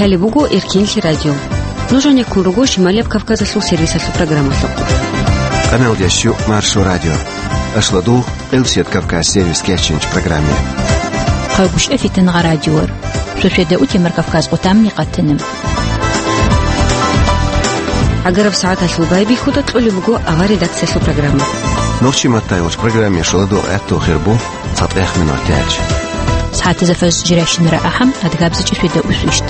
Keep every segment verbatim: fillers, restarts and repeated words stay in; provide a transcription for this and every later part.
Гьале буго Эркинлъи радио. Нуж гьанеккун руго Шималияб Кавказалъул сервисалъул программалъухъ. Къамел ящу Маршо радио. Ашладу Къилсият Кавказ сервис кечинч программе. Хъагушев Фитнагъа радиор. Шошеда утемар Кавказ къутамни къатиним. Агараб сагӀаталъул байбихьуда кьолеб буго авар редакциялъул программа. Нохчи маттайгъуч программе шаладу гӀатту хирбу. ЦатӀех минут тяч. СагӀатазда фаз жирашинара ахӀам, адгабзачӀи феда усвищт.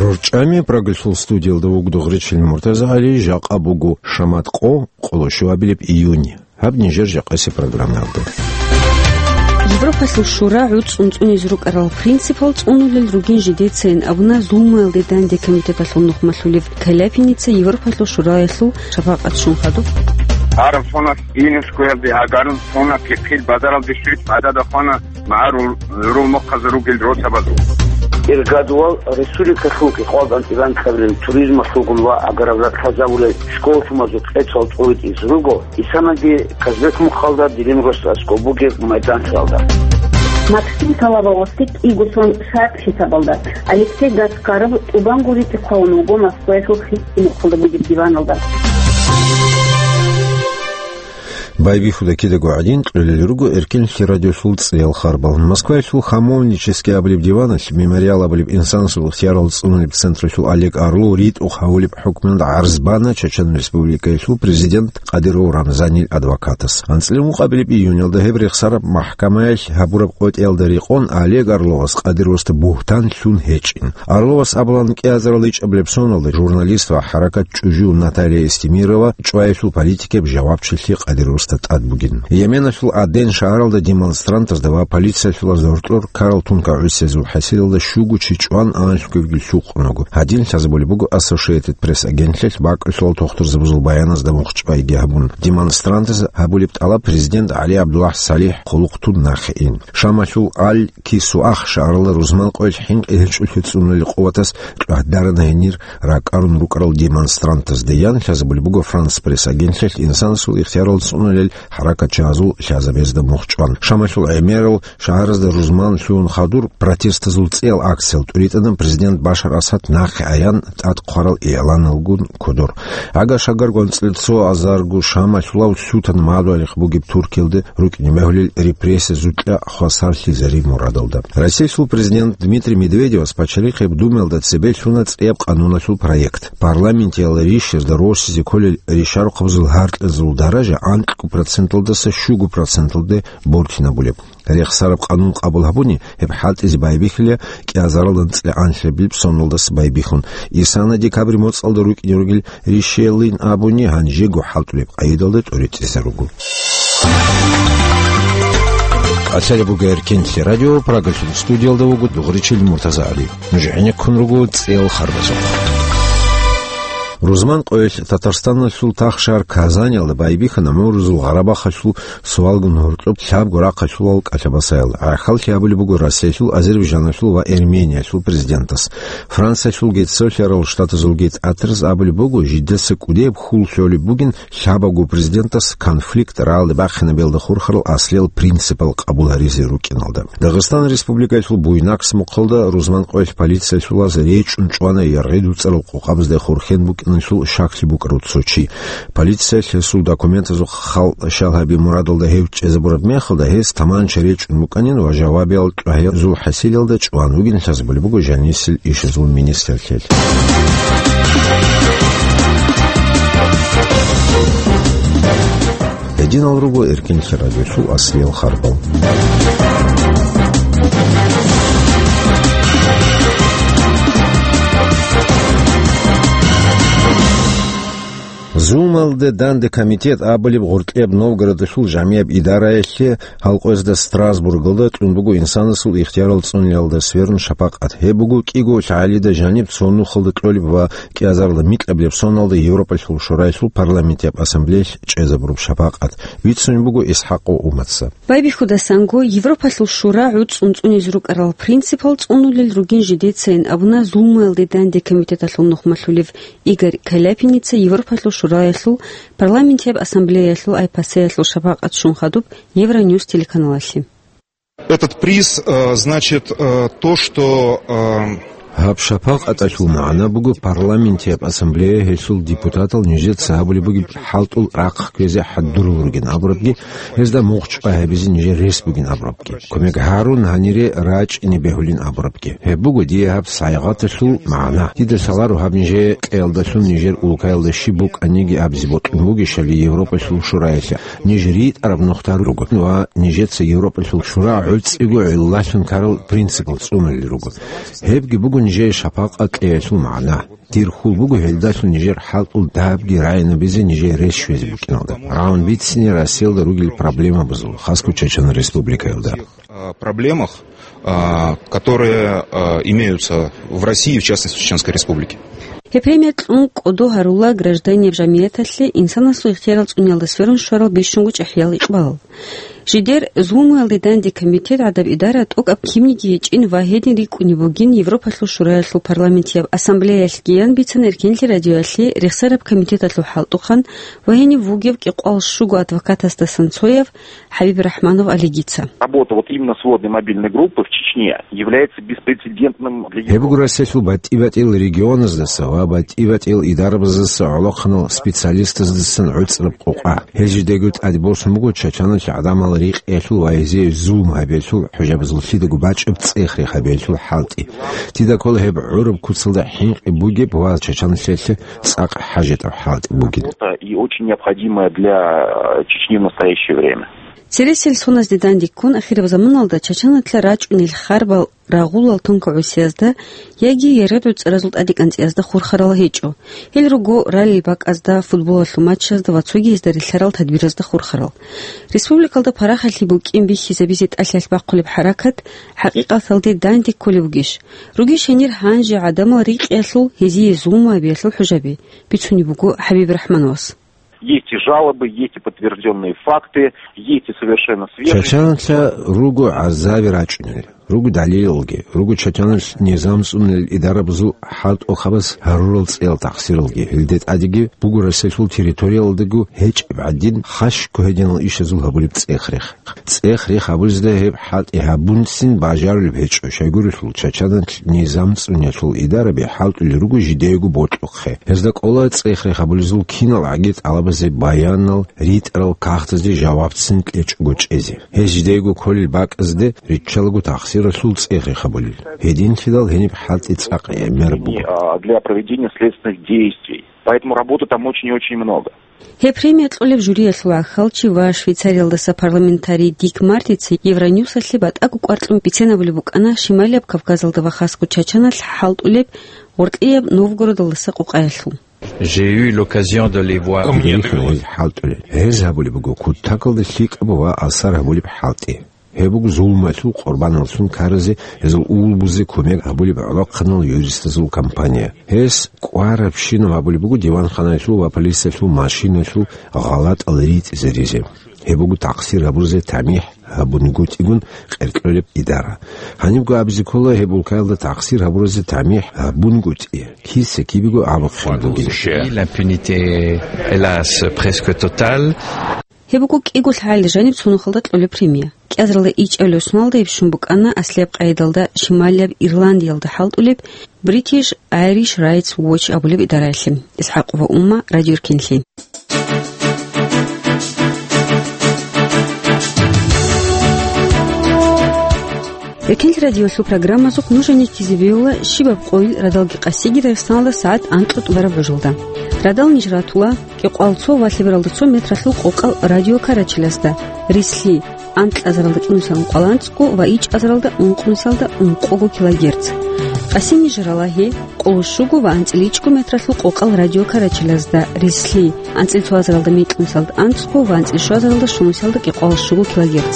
РорчӀами программалъул студиялда вугдугъричил Муртаза ГӀали, жакъа буго шамат къо, къоло щуабилеб июнь. Гьаб нижер жакъаси программаялда. Европалъул шура гӀуцӀцӀун цӀунизе рукӀарал принципал цӀунулел ругин жидецайин абуна зулмуялде данде комитеталъул нухмалъулев Каляпиница Европалъул шураялъул шапакъат щун хадуб. Гьарун сона Инускоялде, гьагарун сона пихъил базаралде щвит гӀадада хвана, магӀарул гӀурул мухъазул ругел росабазул. Иргадувал республикалъул кӀикъвалдан тӀибанкабилел туризмалъулгун ва агараб ратазабулел школалъумазул кьецӀал тӀуритӀиз руго. Исанаги Казбек мухъалда, дирин росаскӀо бугеб майданлъиялда. Максим Талабовасде кӀиго сон шартӀ хӀисабалда, Алексей Гаскаров тӀубан гури тӀихъавун вуго Москваялъул хисти мухъалда бугеб диваналда. Байбихьуда кидаго гӀадин, кьолел руго Эркинлъи радиолъул цӀеял харбал. Москваялъул Хамовнический абулеб диваналъ, Мемориал абулеб инсанасул ихтиярал цӀунулеб централъул Олег Орлов ритӀухъ гьавулеб хӀукмуялда гӀарз бана Чечен Республикаялъул президент Кадыров Рамзанил адвокатас. АнцӀила мукъабилеб июньалда гьеб рехсараб махӀкамаялъ гьабураб къотӀиялда рекъон Олег Орловас Кадыровасда бугьтан лъун гьечӀин. Орловас абулан, кӀиазарал ичӀабилеб соналда журналист ва хӀаракат чӀужу Наталья Эстемирова чӀваялъул политикияб жавабчилъи Кадыровасда тӀад бугин. Йеменалъул Аден шагьаралда демонстрантазда ва полициялъул гьоркьор ккарал тункагӀусиязул хӀасилалда щуго чи чӀван, анлъго лъукъун вуго. Гьадин лъазабулеб буго Associated Press агентлъиялъ бакӀалъулал тухтурзабазул баяназда мухчӀвайги гьабун. Демонстрантаз гьабулеб тӀалаб президент ГӀали ГӀабдуллахӀ СалихӀ хъулухъ тун нахъе ин. Шамалъул Аль-Кисуах шагьаралда рузман къоялъ хӀинкъи гьечӀолъи цӀунулел къуватас чӀвагьдарана гьенир ракӀарун рукӀарал демонстрантазда, ян лъазабулеб буго Франс Пресс агентлъиялъ инсанасул ихтиярал цӀунулел хӀаракатчагьазул лъазабазда мухчӀван. Шамалъул гӀемерал шагьаразда рузман лъугьун хадур протестазул цӀеял акциял тӀуритӀана президент Башар Асад нахъе аян тӀад хъварал игӀланалгун кодор. Агар шагар гонцӀлъи цо азарго Шамалъулав лъутан мадугьалихъ бугеб Туркиялда рукӀине бегьулел репрессиязукьа хвасарлъизарив мурадалда. Россиялъул президент Дмитрий Медведевас Пачалихъеб Думаялда цебе лъуна цӀияб къануналъул проект. Парламентиял ришазда росизе кколел ришарухъабазул гьаркьазул даража анкьго проценталдаса щуго проценталде бортинабулеб. Рехсараб къанун къабул гьабуни, гьеб хӀалтӀизе байбихьила кӀиазаралда анцӀила анлъабилеб соналдаса байбихьун. Исана декабрь моцӀалда рукӀине ругел ришиялин абуни, гьанжего хӀалтӀулеб къагӀидалда тӀоритӀизаруго. Къачалеб буго Эркинлъи радио, Прагалъул студиялда вуго дугъричил Муртаза ГӀали. Нуж гӀенеккун руго цӀеял харбазухъ. Рузман къоялъ Татарстаналъул тахшагьар Казаниялда байбихьана ГӀумрузул Гъарабахъалъул суалгун гьоркьоб лъабго рахъалъулал кӀалъабасаял. ГӀахьаллъи абулеб буго Россиялъул, Азербайджаналъул ва Эрмениялъул президентас. Франциялъул Геццо лъарал штатазул гецӀатрас абулеб буго, жидеца кӀудияб хьул лъолеб бугин лъабабго президентас конфликт рагӀалде бахъинабиялда хурхарал аслиял принципал къабул гьаризе рукӀиналда. Дагъистан Республикалъул Буйнакск мухъалда рузман къоялъ полициялъулаз речӀчӀун чӀвана яргъи дуцӀарал къокъабазда хурхен букӀиналъул щаклъи букӀарав цо чи. Полициялъ гьесул документазул хал щал гьаби мурадалда гьев чӀезабураб мехалда, гьес таманча речӀчӀун букӀанин ва жавабиял чӀвагьиязул хӀасилалда чӀван вугин лъазабулеб буго жанисел ишазул министрлъиялъ. Гьединал руго Эркинлъи радиолъул аслиял харбал. Зулмалде данде комитет абулеб гъоркьияб Новгородалъул жамияб идараялъе гьалкъоязда Страсбургалда кьун буго инсанасул ихтиярал цӀуниялда сверун шапакъат. Гьеб буго кӀиго лъагӀалида жаниб цо нухалда кьолеб ва кӀиазарла микьабилеб соналда Европалъул Шураялъул Парламентияб Ассамблеялъ чӀезабураб шапакъат. Вицун буго ИсхӀакъов Уматса. Байбихьудасанго Европалъул Шура гӀуцӀцӀун цӀунизе рукӀарал принципал цӀунулел ругин жидецайин абуна зулмуялде данде комитеталъул нухмалъулев Игорь Каляпиница Европалъул Шураялъул Парламентияб Ассамблеялъул ай пасеялъул шапакъат щун хадуб Евроньюс телеканалалъе. Этот приз, э, значит, э, то, что, э, Гьаб шапакъаталъул магӀна буго, парламентияб ассамблея гьелъул депутатал нижеца гьабулеб бугеб хӀалтӀул рахъ кквезе хӀадурул ругин абурабги, гьезда мухъ чӀвай гьабизе нижер рес бугин абурабги, кумек гьарун гьанире рачӀине бегьулин абурабги. Гьеб буго дие гьаб сайгъаталъул магӀна. Дида лъаларо гьаб нижее кьеялдалъун нижер улкаялда щиб букӀаниги абизе бокьун бугищали Европалъул шураялъе. Ниж ритӀараб нухда руго ва нижеца Европалъул шура гӀуцӀиго гӀиллалъун ккарал принципал цӀунулел руго. Гьебги буго нижее шапакъат кьеялъул магӀна. Дир хьул буго гьелдалъун нижер хӀалтӀул дагьабги рагӀинабизе нижее рес щвезе букӀиналда, рагӀун бицине Россиялда ругел проблемабазул, хасго Чечен Республикаялда. Э, проблемах, э, которые, э, имеются в России, в частности, в Чеченской Республике. Гьеб премия кьун кӀодо гьарула гражданияб жамияталъе инсанасул ихтиярал цӀуниялда сверун щварал бищунго чӀахӀиял икъбал. Жидер зулмуялде данде комитет гӀадаб идара тӀокӀаб кинниги гьечӀин ва гьедин рикӀкӀунеб бугин Европалъул шураялъул парламентияб ассамблеялъ гиян бицана Эркенлъи радиоялъе рехсараб комитеталъул хӀалтӀухъан ва гьенив вугев кӀикъвал щуго адвокатасдасан цояв ХӀабиб РахӀманов Алигица. Работа вот именно сводной мобильной группы в Чечне является беспрецедентным для Европы. Гьеб буго Россиялъул батӀи-батӀиял регионаздаса ва батӀи-батӀиял идарабаздаса гӀолохъанал специалистаздасан гӀуцӀраб къокъа. Гьез жидего тӀаде босун буго Чеченалъ гӀадамал рикъиялъул ва гьезие зулм гьабиялъул, хӀужабазул лъидаго бачӀеб цӀех-рех гьабиялъул хӀалтӀи. Дида ккола гьеб гӀураб куцалда хӀинкъи бугеб ва Чеченалъе цӀакъ хӀажатаб хӀалтӀи бугин. И очень необходимая для, э, Чечни в настоящее время. Цересел соназде данде ккун, ахираб заманалда Чеченалъа рачӀунел харбал рагъулал тункагӀусиязда яги яргъи-гӀуцӀаразул тӀадекӀанцӀиязда хурхарал гьечӀо. Гьел руго раллил бакӀазда, футболалъул матчазда ва цоги гьезда релълъарал тадбиразда хурхарал. Республикалда парахалъи букӀин бихьизабизе тӀалъалъ бахъулеб хӀаракат хӀакъикъаталде данде кколеб бугищ? Ругищ гьенир гьанже гӀадамал рикъиялъул, гьезие зулму гьабиялъул хӀужаби? Бицунеб буго ХӀабиб РахӀмановас. Есть и жалобы, есть и подтверждённые факты, есть и совершенно свежие. Чачаналъа руго гӀазаби рачӀунел, руго далилалги, руго Чачаналъ низам цӀунел идарабазул хӀалтӀухъабаз гьарурал цӀеял тахсиралги, гьелде тӀадеги буго Россиялъул территориялдаго гьечӀеб гӀадин хашго гьединал ишазул гьабулеб цӀех-рех. ЦӀех-рех гьабулезда гьеб хӀалтӀи гьабунцин бажарулеб гьечӀо, щайгурелъул Чачаналъ низам цӀунелъул идараби хӀалтӀулел руго жидеего бокьухъе. Гьезда кӀола цӀех-рех гьабулезул кинал гӀаги тӀалабазе баянал ритӀарал кагътазде жавабцин кьечӀого чӀезе. Гьез жидеего кколел бакӀазде риччалаго тахсиралъул цӀех-рех гьабулел. Гьединлъидал гьениб хӀалтӀи цӀакъ гӀемер буго. А, для проведения следственных действий. Поэтому работы там очень и очень много. Гьеб премия кьолеб жюриялъул гӀахьалчи ва Швейцариялдаса парламентарий Дик Мартица Евроньюсалъе батӀаго кӀвар кьун бицен абулеб букӀана Шималияб Кавказалда ва хасго Чачаналъ хӀалтӀулеб Гъоркьияб Новгородалдаса къокъаялъул. J'ai eu l'occasion de les voir. Гьел хӀалтӀулел. Гьез гьабулеб буго кутакалда лъикӀаб ва асар гьабулеб хӀалтӀи. Гьеб буго зулмалъул къурбаналлъун ккаразе гьезул улбузе кумек гьабулеб гӀолохъанал юристазул компания. Гьес кӀварабщинаб гьабулеб буго диванханалъул ва полициялъул машиналъул гъалатӀал ритӀизаризе. Гьеб буго тахсир гьабуразе тамихӀ гьабунгутӀигун къеркьолеб идара. Гьанибго абизе ккола гьеб улкаялда тахсир гьабуразе тамихӀ гьабунгутӀи киса-кибего абухъе бугин. L'impunité, hélas, presque totale. Гьеб буго кӀиго лъагӀалил жаниб цо нухалда кьолеб премия. КӀиазаралда ичӀабилеб соналда гьеб щун букӀана аслияб къайдалда Шималияб Ирландиялда хӀалтӀулеб British Irish Rights Watch абулеб идараялъе. ИсхӀакъова Умма, Радио Эркенлъи. Эркенлъи радиолъул программазухъ нуж гьенеккизе бегьула щибаб къойил радалги къасиги Дагъистаналда сагӀат анкьго тӀубараб гӀужалда. Радал ниж ратула кӀикъоялда цо ва лъебералда цо метралъул къокъал радиокарачелазда, рислъи, анкьазаралда кӀинусиялда ункъоялда анцӀго ва ичӀазаралда ункънусиялда ункъого килогерц. Къасин ниж рала гьеб къоло щуго ва анцӀила ичӀго метралъул къокъал радиокарачелазда, рислъи, анцӀила цоазаралда мекьнусиялда анцӀго ва анцӀила щуазаралда щунусиялда кӀикъоялда щуго килогерц.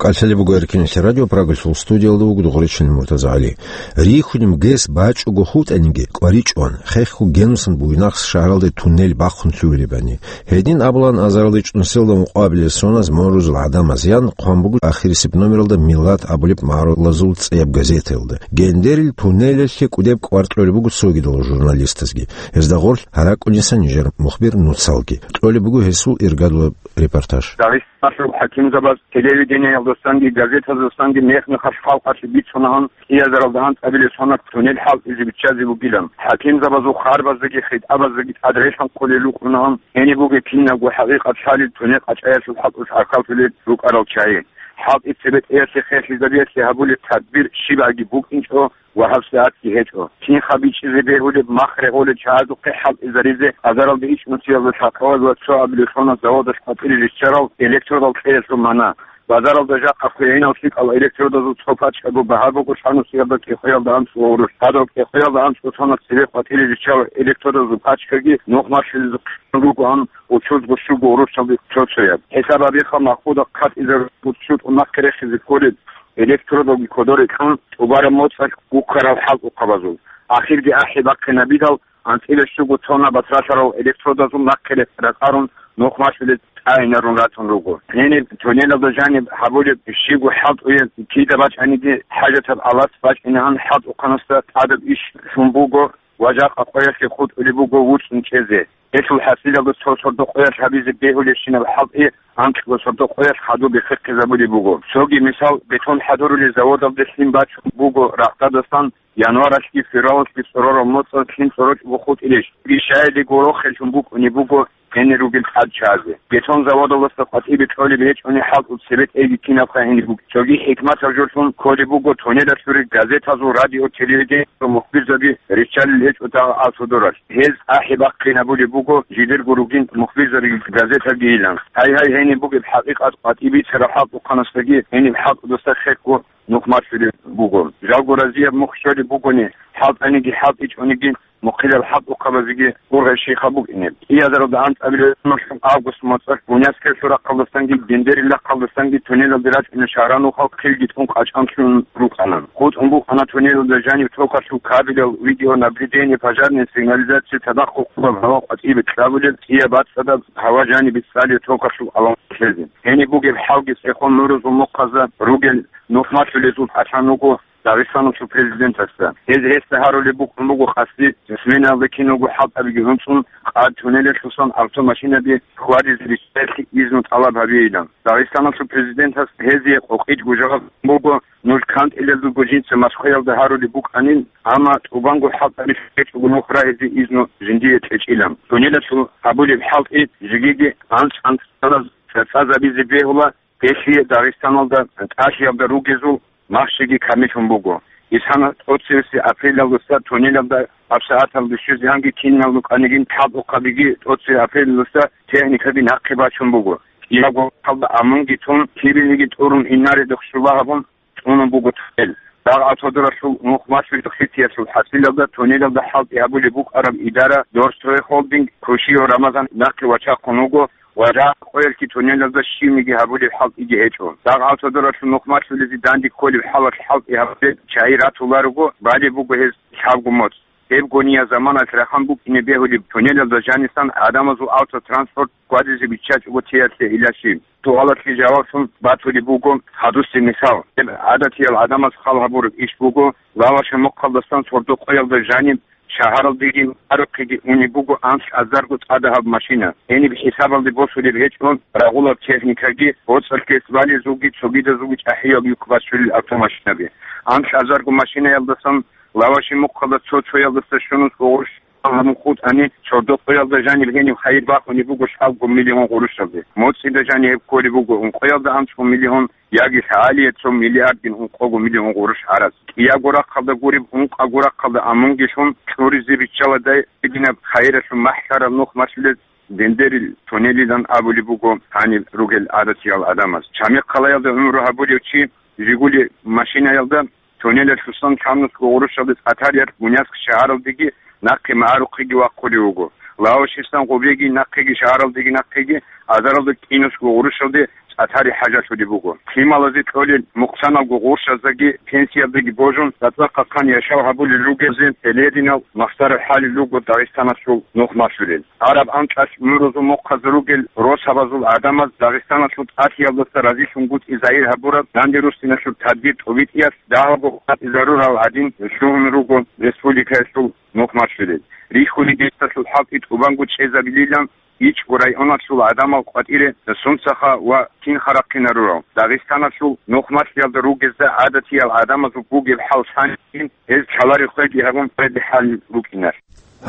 КӀалъалеб буго Эркенлъи радио, Прагалъул студиялда вуго Дугъричилан МуртазагӀали. Рихьун гес бачӀого хутӀаниги, кӀваричӀоан, хехго генусан Буйнакск шагьаралде туннел бахъун лъугьулебани. Гьедин абулаан азарилда чӀунусиялда ункъоабилеб соназ морузул гӀадамаз ян хъван буго ахирисеб номералда «Миллат» абулеб магӀарулазул цӀияб газетаялда. Гендерил туннелалъе кӀудеб кӀвар кьолеб буго цогидал журналистазги. Гьезда гъорлъ гьаракӀуниса нижер мухбир нуцалги. Кьолеб буго гьесул иргадулаб Репортаж. Дагъистаналъул хӀакимзабаз телевидениеялдасанги газетаздасанги мех-мехалъ халкъалъе бицунагьан, кӀиазаралда анцӀабилеб соналъ туннел хӀалтӀизе биччазе бугилан. ХӀакимзабазул харбаздаги хитӀабаздаги тӀад релъанхъулел рукӀунагьан, гьениб бугеб кинабго хӀакъикъат лъалел туннел къачӀаялъул хӀалтӀулъ гӀахьаллъулел рукӀарал чагӀи. ХӀалтӀи цебетӀеялъе херлъизабиялъе гьабулеб тадбир щибаги букӀинчӀо ва гьабсагӀатги гьечӀо. Кинха бичӀчӀизе бегьулеб мах регъолел чагӀазухъе хӀалтӀизаризе азаралда ичӀнусиялда лъахъаваз ва цо абилелъуназ заводалъ къватӀире риччарал электродал кьеялъул мана. Базаралда жакъа хвегьинал лъикӀал электродазул цо пачкаго багьа буго лъанусиялда кӀикъоялда анцӀго гъурущ. Гьадал кӀикъоялда анцӀго соналъ цебе къватӀире риччал электродазул пачкаги нух малъулезухъ ругоан учузго щуго гъурущалде цо-цояб. ХӀисаб гьабиха, махкуда хъатӀизарулеб цо-цо нахъе рехизе кколеб электродалги кодоре кьун тӀубараб моцӀалъ гуккарал хӀалтӀухъабазул. Ахирги ахӀи бахъинабидал, анцӀила щуго тонна батралъарал электродазул нахъе рекъарун нух малъулел тӀагӀинарун ратун руго. Гьениб туннелалда жаниб гьабулеб щибго хӀалтӀуе кида бачӀаниги, хӀажатаб алас бачӀинегӀан хӀалтӀухъанасда тӀадаб иш лъун буго ва жакъа къоялъе хутӀулеб буго вуцӀцӀун чӀезе. Гьелъул хӀасилалда цо сордо къоялъ гьабизе бегьулебщинаб хӀалтӀи анкьго сордо къоялъ хадуб биххизабулеб буго. Цоги мисал, бетон хӀадурулел заводалде лъим бачун буго рагъдадасан январалъги февралалъги цӀорораб моцӀалъ лъим цӀорочӀого хутӀилищ. Бишаили горохеллъун букӀунеб буго гьенир ругел тӀад чазе. Бетон заводалдаса къватӀибе кьолеб гьечӀони хӀалтӀул цебетӀейги кинабха гьениб буго. Цоги хӀикматаб жолъун кколеб буго туннелалъуре газетазул, радио, телевидениялъул мухбирзаби риччалел гьечӀо дагъа автобуралъ. Гьез ахӀи бахъинабулеб буго жидерго ругин мухбирзабиги газетабигийилан. Гьай-гьай, гьениб бугеб хӀакъикъат къватӀиб бицараб хӀалтӀухъанасдаги гьениб хӀалтӀудаса хехго нух малъулеб буго. Жалго разияб мухь щолеб бугони, хӀалтӀаниги хӀалтӀичӀониги, мухъилал хӀалтӀухъабазеги ургъел щейха букӀине. КӀиазаралда анцӀабилеб август моцӀалъ Буняскелъул рахъалдасанги Гендерил рахъалдасанги туннелалде рачӀуна шагьранухъал хъилги тӀун къачӀанлъун рукӀана. ХутӀун букӀана туннелалда жаниб токалъул кабелал, видеонаблюдение, пожарная сигнализация, цадахъ хъубаб гьава къватӀибе кьабулеб, цӀияб бацӀцӀадаб гьава жанибе цӀалияб токалъул аламат лъезе. Гьениб бугеб хӀалги цӀехон мурузул мухъазда ругел нух малъулезул тӀалъан руго Дагъистаналъул президентасда. Гьез гьесда гьарулеб букӀун буго къасди, сменаялда киналго хӀалтӀабиги гьунцӀун, къад туннелалъусан автомашинаби хьвадизе риччаялъе изну тӀалаб гьабейилан. Дагъистаналъул президентас гьезие къокъидго жаваб буго, нуж кантӀилелдулго жинца Москваялда гьарулеб букӀанин, амма тӀубанго хӀалтӀаби гьечӀого нух рагьизе изну жиндие кьечӀилан. Туннелалъул гьабулеб хӀалтӀи жигиги анцӀ-анцӀ цӀа-, цӀа-, цӀазабизе бегьула, гьелъие Дагъистаналда тӀалъиялда ругезул махщиги камиллъун буго. Исана тӀоцевеси апрелалдаса туннелалда гьабсагӀаталда щвезегӀанги киналго кӀанигин хӀалтӀухъабиги тӀоцеве апрелалдаса техникаби нахъе бачун буго. Киягоялда амунги тун, кибениги тӀурун, инарида хъулухъ гьабун, цӀунун буго туннел. Дагъ автодоралъул нух малъулел хитиялъул хӀасилалда туннелалда хӀалтӀи гьабулеб букӀараб идара Дорстройхолдинг Кушиев Рамазан нахъе вачахъун вуго ва жакъа къоялъги туннелалда щибниги гьабулеб хӀалтӀиги гьечӀо. Дагъ автодоралъул нух малъулезе данде кколеб хӀалалъ хӀалтӀи гьабулел чагӀи ратуларого, балеб буго гьез лъабго моцӀ. Гьеб гониял заманалъ рахъан букӀине бегьулеб туннелалда жанисан гӀадамазул автотранспорт хьвадизе биччачӀого теялъе илалъи. Суалалъе жаваблъун батулеб буго гьадусеб мисал. Гьеб гӀадатиял гӀадамаз хал гьабураб иш буго, Лаваши мухъалдасан сордо къоялда жаниб шагьаралдеги гьарухъеги унеб буго анлъазарго цӀадагьаб машина. Гьениб хӀисабалде босулеб гьечӀо рагъулаб техникаги, боцӀалъ гьес балезулги цогидазулги чӀахӀиял юкъ бачулел автомашинаби. Анлъазарго машинаялдасан Лаваши мухъалда цо-цоялдаса щунусго гъурущ гьабун хутӀани, сордо къоялда жаниб гьениб хайир бахунеб буго лъабго миллион гъурущалде. МоцӀида жаниб гьеб кколеб буго ункъоялда анцӀго миллион, яги лъагӀалие цо миллиардгин ункъого миллион гъурущ гьараз. КӀиябго рахъалда гуреб, ункъабго рахъалда амунги лъун, кьуризе биччаладай гьединаб хайиралъул махӀ лъарал нух малъулел Дендерил туннелилан абулеб буго гьаниб ругел гӀадатиял гӀадамаз. Чамихъ хъалаялда гӀумру гьабулев чи Жигули машинаялда туннелалъусан лъабнусго гъурущалде цӀатариялъ Буняск шагьаралдеги нахъе магӀарухъеги вахъулев вуго. Лавашистан гъубеги нахъеги, шагьаралдеги нахъеги, азаралда кӀинусго гъурущалде цӀатари хӀажалъулеб буго. Лъималазе кьолел мукъсаналго гъурщаздаги пенсиялдаги божун, цӀакъ-цӀакъ хъан яшав гьабулел ругелзе гьелединал махсараб хӀалил руго Дагъистаналъул нух малъулел. Араб анкьалъ мурузул мухъаз ругел росабазул гӀадамаз Дагъистаналъул тӀалъиялдаса разилъунгутӀи загьир гьабураб данде руссиналъул тадбир тӀубитӀиялъ дагьабго къватӀизарурал гӀадин лъугьун руго республикаялъул нух малъулел. Рихьулеб гьесдалъул хӀалтӀи тӀубанго чӀезабилилан, ИчӀго районалъул гӀадамал къватӀире сунцаха ва кинха рахъинарурал. Дагъистаналъул нухмалъиялда ругезда гӀадатиял гӀадамазул бугеб хӀал лъанин, гьез лъаларел хвеги гьабун, хведе хӀал рукӀинар.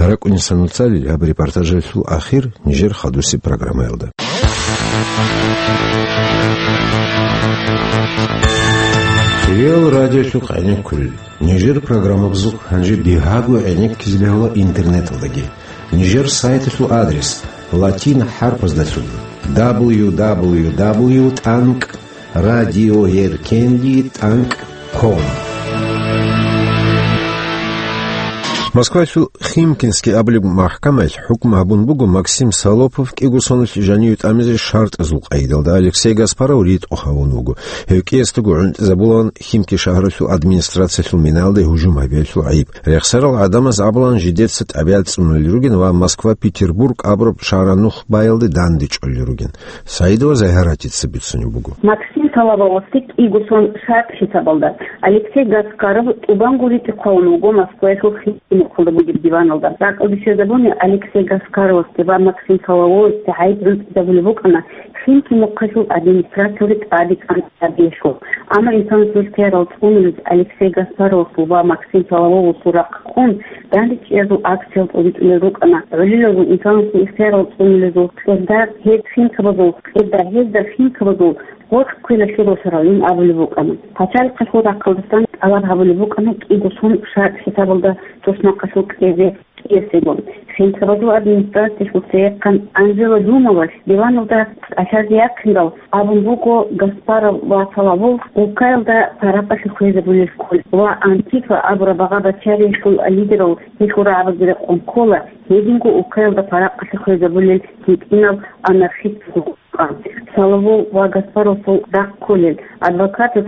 РакӀунеса нуцӀалил гьаб репортажалъул ахир нижер хадусеб программаялда. Кирил радиолъухъ гӀенеккулел. Нижер программабазухъ гьанже бигьаго гӀенеккизе бегьула интернеталдаги. Нижер сайталъул адрес: латин хӀарпаздалъун: дабл ю дабл ю дабл ю тӀанкӀ радиоеркенлъи тӀанкӀ ком. Москвалъул Химкинский абулеб махӀкамаялъ хӀукму гьабун буго Максим Солопов кӀиго соналъ жаниве тӀамизе шартӀазул къайдалда. Алексей Гаспаров ритӀухъ гьавун вуго. Гьев кӀиясдаго гӀунтӀизабулаан Химки шагьаралъул администрациялъул минаялде гьужум гьабиялъул гӀайиб. Рехсарал гӀадамаз абулаан жидеца тӀабигӀат цӀунулел ругин ва Москва-Петербург абураб шагьаранухбаялде дандечӀолел ругин. Саидова Загьаратица бицунеб буго. Максим Соловьевасде кӀиго сон шартӀ хӀисабалда Алексей Гаспаров тӀубанго ритӀухъ гьавун вуго Москваялъул Химки мухъалда бугеб диваналда. Ракъалде щвезабуни Алексей Гаспаровасде ва Максим Соловьевасде гӀайиб гӀунтӀизабулеб букӀана Химки мухъалъул администрациялде тӀадегӀан гьабиялъул. Амма инсанасул ихтиярал цӀунулез Алексей Гаспаровасул ва Максим Соловьевасул рахъ ккун, дандечӀиязул акциял тӀобитӀулел рукӀана. ГӀолилазул инсанасул ихтиярал цӀунулезул кьерда гьез химкабазул, кьерда гьезда химкабазул гъоркь квелалъе росаралин абулеб букӀана. Пачалихъалъул рахъалдасан тӀалаб гьабулеб букӀана кӀиго сон шартӀ хӀисабалда туснахъалъул кьезе кӀиясего. Химкабазул администрациялъул цеяхъан Анжела Думовалъ диваналда кӀалъазе яхъинал абун буго Гаспаров ва Соловьев Улкаялда паракъалъе хвезабулел кколеб ва Антифа абураб багъа-бачариялъул лидерал гьелъул рагӀабазда рекъон ккола гьединго Улкаялда паракъалъе хвезабулел гьитӀинал анархистазул. Соловьев ва Гаспаровасул рахъ кколел адвокатаз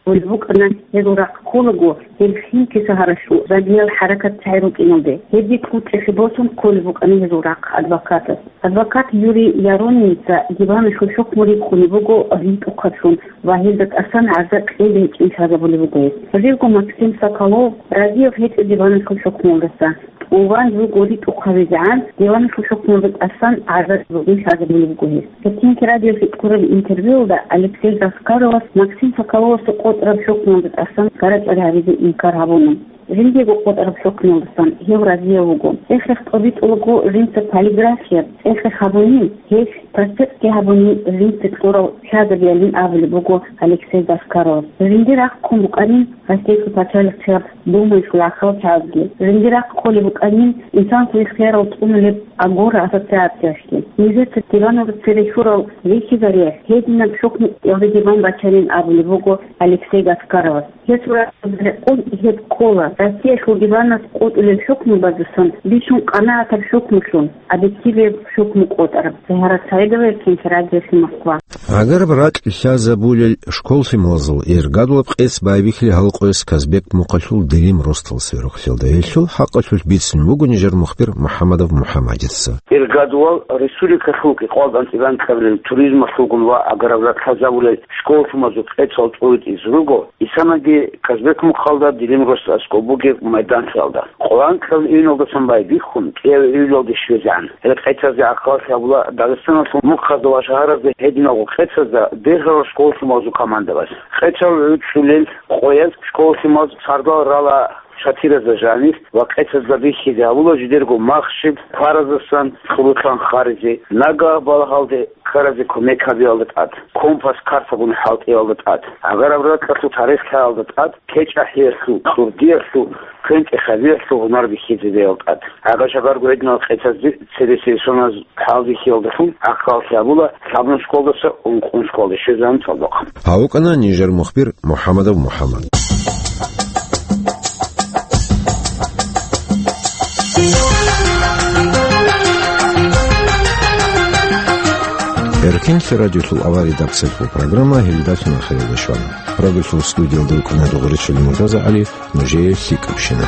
абулеб букӀана, гьезул рахъ кколаго, гьел Химки шагьаралъул радиял хӀаракатчагӀи рукӀиналде, гьебги кьучӀелъе босун кколеб букӀана гьезул рахъ адвокатаз. Адвокат Юрий Яронинца диваналъул хӀукму рикӀкӀунеб буго ритӀухъаблъун ва гьелда тӀасан гӀарза кьезе гьечӀин лъазабулеб буго гьес. Живго Максим Соколов разияб гьечӀо диваналъул хӀукмуялдаса. ТӀубан руго ритӀухъ гьавизегӀан, диваналъул хӀукмуялда тӀасан гӀарза кьезе гьечӀин лъазабулеб буго гьес. Хинки радиоялъе кьураб интервьюялда Алексей Гаскаровас Максим Соколовасда къотӀараб хӀукмуялда тӀасан гарачӀал гьабизе инкар гьабуна. Жиндиего къотӀараб хӀукмуялдасан гьев разияб вуго. ЦӀехех тӀобитӀулаго жинца полиграфия, цӀехех гьабунин, гьелъ проспектги гьабунин жинца кьурал лъазабиялин абулеб буго Алексей Гаскаровас. Жинди рахъ ккун букӀанин Россиялъул пачалихъияб Думаялъул гӀахьалчагӀазги. Жинди рахъ кколеб букӀанин инсанасул ихтиярал цӀунулеб Агора ассоциациялъги. Нижеца диваналда цере лъурал рихьизариялъ гьединаб хӀукмуялде диван бачанин абулеб буго Алексей Гаскаровас. Гьесул рахъалда рекъон гьеб ккола, Россиялъул диванас къотӀулел хӀукму базусан бищун къанагӀатаб хӀукмулъун, объективияб хӀукму къотӀараб. Загьарат Саидова, Хинки радиоялъ, Москва. Гьагараб ракь лъазабулел школ лъималазул иргадулаб къец байбихьилин гьал къоялъ Казбек мухъалъул Дилим росдал сверухълъиялда. Гьелъул хӀакъалъулъ бицун буго нижер мухбир МухӀаммадов МухӀаммадица. Иргадувал республикалъул кӀикъоялда анцӀила анкьабилел туризмалъулгун ва гьагараб ракь лъазабулел школ лъималазул къецал тӀуритӀизе руго, исанаги Казбек мухъалда Дилим росдал аскӀоб бугеб майданлъиялда. Къоло анкьабилеб июналдасан байбихьун, кӀиабилеб июлалде щвезегӀан. Гьел къецазде гӀахьаллъи гьабула Дагъистаналъул мухъазда ва шагьаразда гьединалго къецазда бергьарал школ лъималазул командабаз. Къецал гӀуцӀулел къояз школ лъималаз сардал рала шатиразда жанир ва къецазда бихьизе гьабула жидерго махщел, хвараздасан хӀурулъан хъаризе, нагагь балагьалде ккаразе кумек гьабиялда тӀад, компас-картагун хӀалтӀиялда тӀад, гьагараб ракьалъул тарих лъаялда тӀад, кечӀахӀиялъул, кьурдиялъул, квен-тӀехьабиялъул гьунар бихьизабиялда тӀад. Гьагар-шагарго гьединал къецазде цебесеб соназ хӀалбихьиялдалъун гӀахьаллъи гьабула лъабнаб школдаса ункънуб школде щвезегӀан цӀалдохъан. Гьав вукӀана нижер мухбир МухӀаммадов МухӀаммад. Эркенлъи радиолъул авария дакцелъул программа гьелдалъун ахиралде щвана. Радиолъул студиялда рукӀана Дугъричилин Муртаза ГӀали, нужее лъикӀабщина.